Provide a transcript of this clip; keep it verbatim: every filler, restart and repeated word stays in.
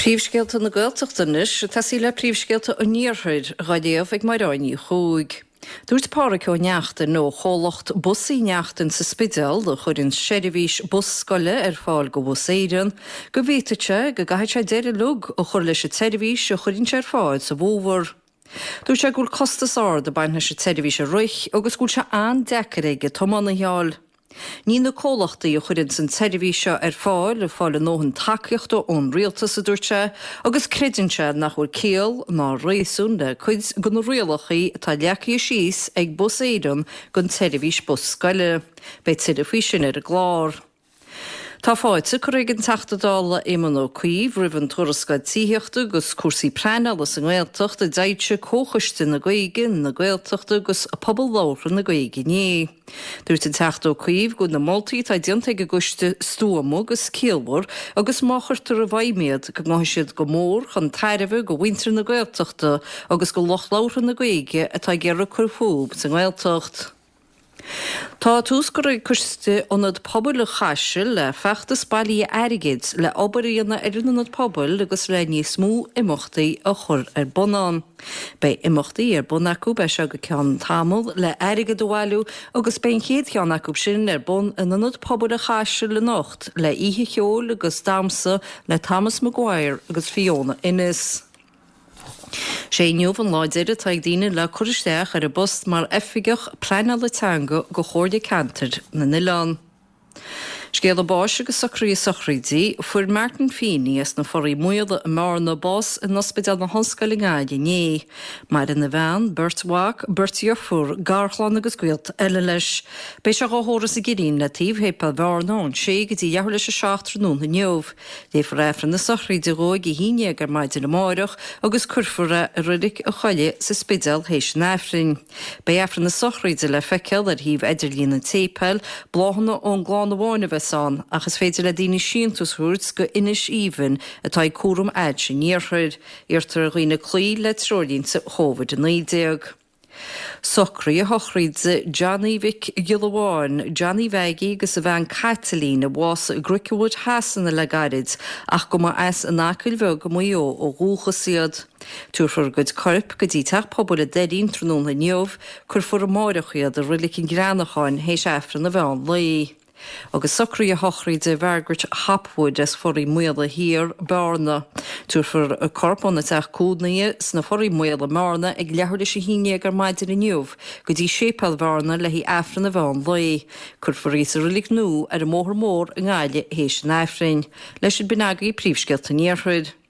Príomhscéalta na Gaeltachta anois, ag tosaí le príomhscéalta an Iarthair á léamh ag Máire Ní Chuaig. Dúirt Pádraig Ó Neachtain ó chomhlacht Bus Uí Neachtain sa Spidéal a chuireann seirbhís bus scoile ar fáil go Bhus Éireann, go bhféadfadh sé go gcaithfidh sé deireadh uilig a chur leis an tseirbhís a chuireann sé ar fáil sa bhfómhar. Dúirt sé go bhfuil costas ard ag baint leis an tseirbhís a rith agus go bhfuil sé an-deacair aige tiománaithe a fháil. Níl na comhlachtaí a chuireann an tseirbhís seo ar fáil ag fáil a ndóthain tacaíochta ón rialtas a dúirt sé, agus creideann sé nach bhfuil ciall ná réasún le cuid de na rialacha atá leagtha síos ag Bus Éireann don tseirbhís bus scoile. Beidh tuilleadh faoi sin ar an gclár. Tá fáilte curtha ag an Teachta Dála Éamon Ó Cuív roimh an tuarascáil tithíochta agus cúrsaí pleanála sa nGaeltacht a d'fhoilsigh Comhchoiste na Gaeilge, na Gaeltachta agus Pobal Labhartha na Gaeilge inné. Dúirt an Teachta Ó Cuív go bhfuil na moltaí atá déanta ag an gcoiste stuama agus ciallmhar agus má chuirtear i bhfeidhm iad go ngabhfaidh siad go mór chun tairbhe go mhuintir na Gaeltachta agus go lucht labhartha na Gaeilge atá ag iarraidh cur fúthu sa nGaeltacht. Tá tús curtha ag Coiste Ionad Pobail an Chaisil le feachtas bailithe airgid le obair a dhéanamh ar an ionad pobail agus le níos mó imeachtaí a chur ar bun ann. Beidh imeachtaí ar bun acu as seo go ceann tamaill le airgead a bhailiú agus beidh an chéad cheann acu sin ar bun in Ionad Pobail an Chaisil anocht le oíche cheoil agus damhsa le Thomas Maguire agus Fiona Innes. Sé inniu an lá deiridh atá ag daoine le cur isteach ar an bpost mar oifigeach pleanála teanga go Chomhairle Ceantair na nOileán. Scéala báis agus socruithe sochraide, fuair Martin Feeney as na Foraí Maola i mBearna bás in Ospidéal na hOllscoile i nGaillimh inné. Maireann a bhean, beirt mhac, beirt dheirfiúr, garchlann agus gaolta eile leis. Beidh sé á thórramh sa gCillín le taobh Shéipéal Bhearna ón sé go dtí leathuair leis a seacht tráthnóna inniu. Léifear Aifreann na sochraide dhó ag a haon déag ar maidin amárach agus cuirfear é i reilig a choille sa Spidéal théis an Aifrinn. Beidh Aifreann na sochraide le feiceáil ar shuíomh idirlín an tséipéil, bláthanna ón gclann amháin a bheas ann, ach is féidir le daoine síntiús a thabhairt go Inis Aoibhinn atá ag cúram ailse an iarthair. Iarrtar ar dhaoine cloí le treoirlínte Covid a naoi déag. Socruithe sochraide Johnny Mhic Giolla Bháin, Johnny Mhaggie agus a bhean Caitlín a bhásaigh i gCricklewood Shasana le gairid ach go mba as an Acaill Bheag i Maigh Eo ó dhúchas iad. Tabharfar a gcuid coirp go dtí teach pobail an Doirín tráthnóna inniu, cuirfear amárach iad i Reilig an Ghreanacháin théis Aifreann an mheán lae. Agus socruithe sochraide Mhargaret Hopwood as Foraí Maola Thiar, Bearna. Tabharfar a corp óna teach cónaithe sna Foraí Maola i mBearna ag leathuair leis a haon déag ar maidin inniu go dtí Séipéal Bhearna le haghaidh Aifreann an mheán lae. Cuirfear í sa reilig nua ar an mBóthar Mór i nGaillimh théis an Aifrinn. Leis sin b'in agaibh príomhscéalta an Iarthair.